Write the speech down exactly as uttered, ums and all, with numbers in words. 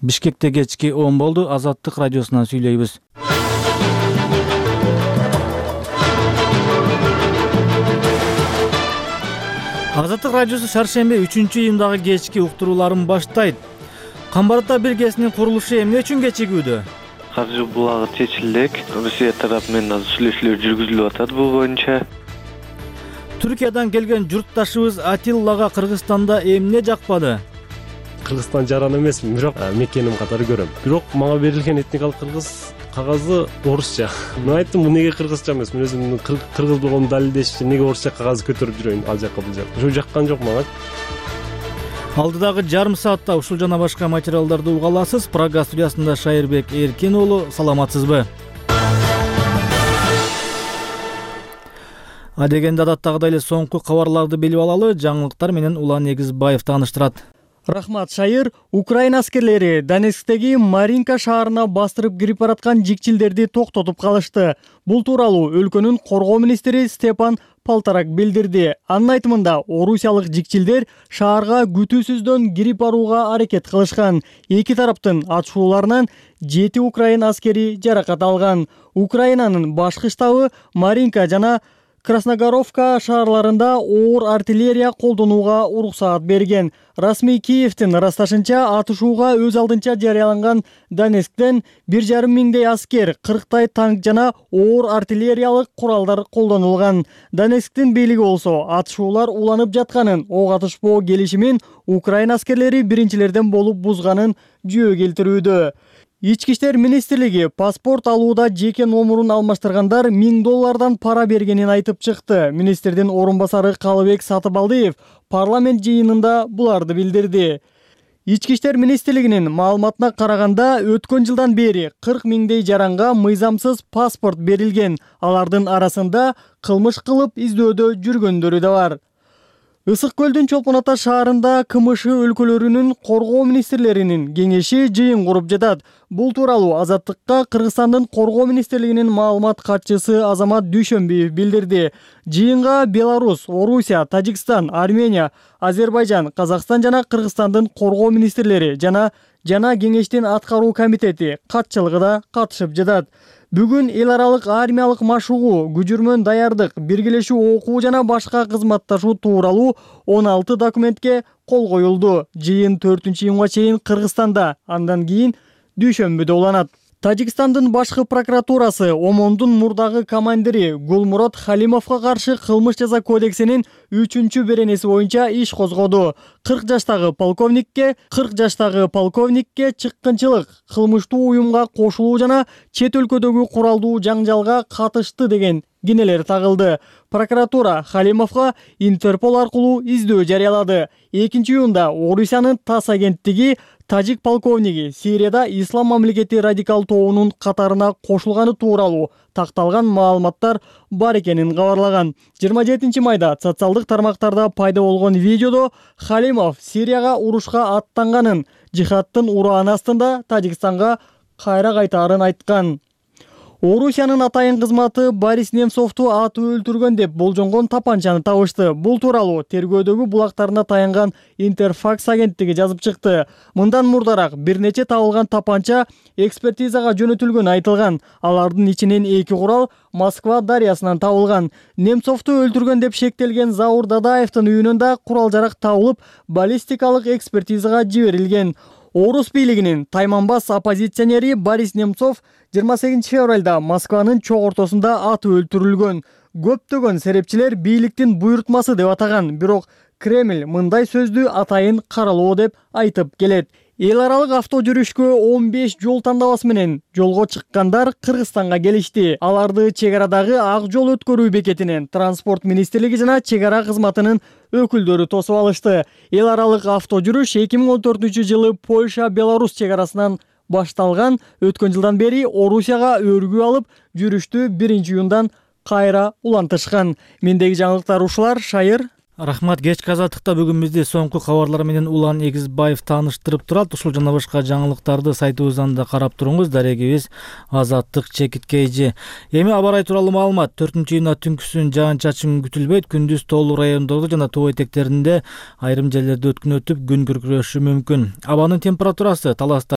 Бишкекте кечки он болду. Азаттык радиосунан сүйлөйбүз. Азаттык радиосу шаршемби үчүнчү июндагы кечки уктурууларын баштайт. Камбарта биргесинин курулушу эмне үчүн кечигүүдө? Каржы булагы чечилди элек. Россия тарапы менен азыр сүйлөшүүлөр жүргүзүлүп атат бул боюнча. Түркиядан келген журтташыбыз Атиллага Кыргызстанда эмне жакпады? Кыргызстан жаран эмесмин, бирок мекеним катары көрөм. Бирок мага берилген этникалык кыргыз кагазы орусча. Мен айттым, бул неге кыргызча эмес? Мен өзүмдүн кыргыз болгонумду далилдеш үчүн неге орусча кагазды көтөрүп жүрөйүн ал жакка бул жакка. Ошо жаккан жок мага. Алдыдагы жарым саатта ушул жана башка материалдарды уга аласыз. Прага студиясында Шайырбек Эркин уулу, саламатсызбы? Адегенде адаттагыдай эле соңку кабарларды билип алалы. Жаңылыктар менен Улан Эгизбаев тааныштырат. Рахмат, Шайыр. Украина аскерлери Донецктеги Маринка шаарына бастырып кирип бараткан жикчилдерди токтотуп калышты. Бул тууралуу өлкөнүн коргоо министри Степан Полторак билдирди. Анын айтымында, орусиялык жикчилдер шаарга күтүүсүздөн кирип барууга аракет кылышкан. Эки тараптын атышууларынан жети украин аскери жаракат алган. Украинанын башкы штабы Маринка жана Красногоровка шаарларында оор артиллерия колдонууга уруксаат берген. Расмий Киевдин ырасташынча, атышууга өз алдынча жарыяланган Донецктен бир жарым миңдей аскер, кырктай танк жана оор артиллериялык куралдар колдонулган. Донецктин бийлиги болсо атышуулар уланып жатканын, ок атышпоо келишимин Украина аскерлери биринчилерден болуп бузганын жөө келтирүүдө. Ички иштер министрлиги паспорт алууда жеке номурун алмаштыргандар миң доллардан пара бергенин айтып чыкты. Министрдин орун басары Калыбек Сатыбалдиев парламент жыйынында буларды билдирди. Ички иштер министрлигинин маалыматына караганда, өткөн жылдан бери кырк миңдей жаранга мыйзамсыз паспорт берилген. Алардын арасында кылмыш кылып издөөдө жүргөндөрү да бар. Ысык көлдүн Чолпон Ата шаарында КМШ өлкөлөрүнүн коргоо министрлеринин кеңеши жыйын куруп жатат. Бул тууралуу Азаттыкка Кыргызстандын коргоо министрлигинин маалымат катчысы Азамат Дүйшөнбиев билдирди. Жыйынга Беларусь, Орусия, Тажикстан, Армения, Азербайжан, Казакстан жана Кыргызстандын коргоо министрлери жана жана кеңештин аткаруу комитети катчылыгы да катышып жатат. Бүгүн эл аралык армиялык машыгуу, күжүрмөн даярдык, биргелешүү окуу жана башка кызматташуу тууралуу он алты документке кол коюлду. Жыйын төртүнчү июнга чейин Кыргызстанда, андан кийин дүйшөмбүдө уланат. Тажикстандын башкы прокуратурасы ОМОНдун мурдагы командири Гулмурод Халимовго каршы кылмыш жаза кодексинин үчүнчү беренеси боюнча иш козгоду. кырк жаштагы полковникке кырк жаштагы полковникке чыккынчылык, кылмыштуу уюмга кошулуу жана чет өлкөдөгү куралдуу жаңжалга катышты деген кинелер тагылды. Прокуратура Халимовго Интерпол аркылуу издөө жарыялады. экинчи июнда Орусиянын ТАСС агенттиги тажик полковниги Сирияда Ислам мамлекети радикал тобунун катарына кошулганы тууралуу такталган маалыматтар бар экенин кабарлаган. жыйырма жетинчи майда социалдык тармактарда пайда болгон видеодо Халимов Сирияга урушка аттанганын, жихадтын урааны астында Тажикстанга кайра кайтаарын айткан. Орусиянын атайын кызматы Борис Немцовду атып өлтүргөн деп болжонгон тапанчаны табышты. Бул тууралуу тергөөдөгү булактарына таянган Интерфакс агенттиги жазып чыкты. Мындан мурдараак бир нече табылган тапанча экспертизага жөнөтүлгөнү айтылган. Алардын ичинен эки курал Москва дарыясынан табылган. Немцовду өлтүргөн деп шектелген Заур Дадаевдин үйүнөн да курал-жарак табылып, баллистикалык экспертизага жиберилген. Орус бийлигинин тайманбас оппозиционери Борис Немцов жыйырма сегизинчи февралда Москванын чок ортосунда атып өлтүрүлгөн. Көптөгөн серепчилер бийликтин буйрутмасы деп атаган, бирок Кремль мындай сөздү атайын каралоо деп айтып келет. Эл аралык авто жүрүшкө он беш жол тандабасы менен жолго чыккандар Кыргызстанга келишти. Аларды чек арадагы ак жол өткөрүү бекетинен транспорт министрлиги жана чек ара кызматынын өкүлдөрү тосуп алышты. Эл аралык авто жүрүш эки миң он төртүнчү жылы Польша-Беларусь чек арасынан башталган. Өткөн жылдан бери Орусияга өргүү алып, жүрүштү биринчи июндан кайра улантышкан. Мендеги жаңылыктар ушулар. Шайыр. Рахмат. Кечки Азаттыкта бүгүн бизди соңку кабарлар менен Улан Эгизбаев тааныштырып турат. Ушул жана башка жаңылыктарды сайтыбыздан да карап туруңуз. Дарегибиз Азаттык чекит кейжи. Эми аба ырайы тууралуу маалымат. төртүнчү июнда түнкүсүн жаан-чачын күтүлбөйт. Күндүз тоолуу райондордо жана тоо этектеринде айрым жерлерде өткүнөтүп күн күркүрөшү мүмкүн. Абанын температурасы Таласта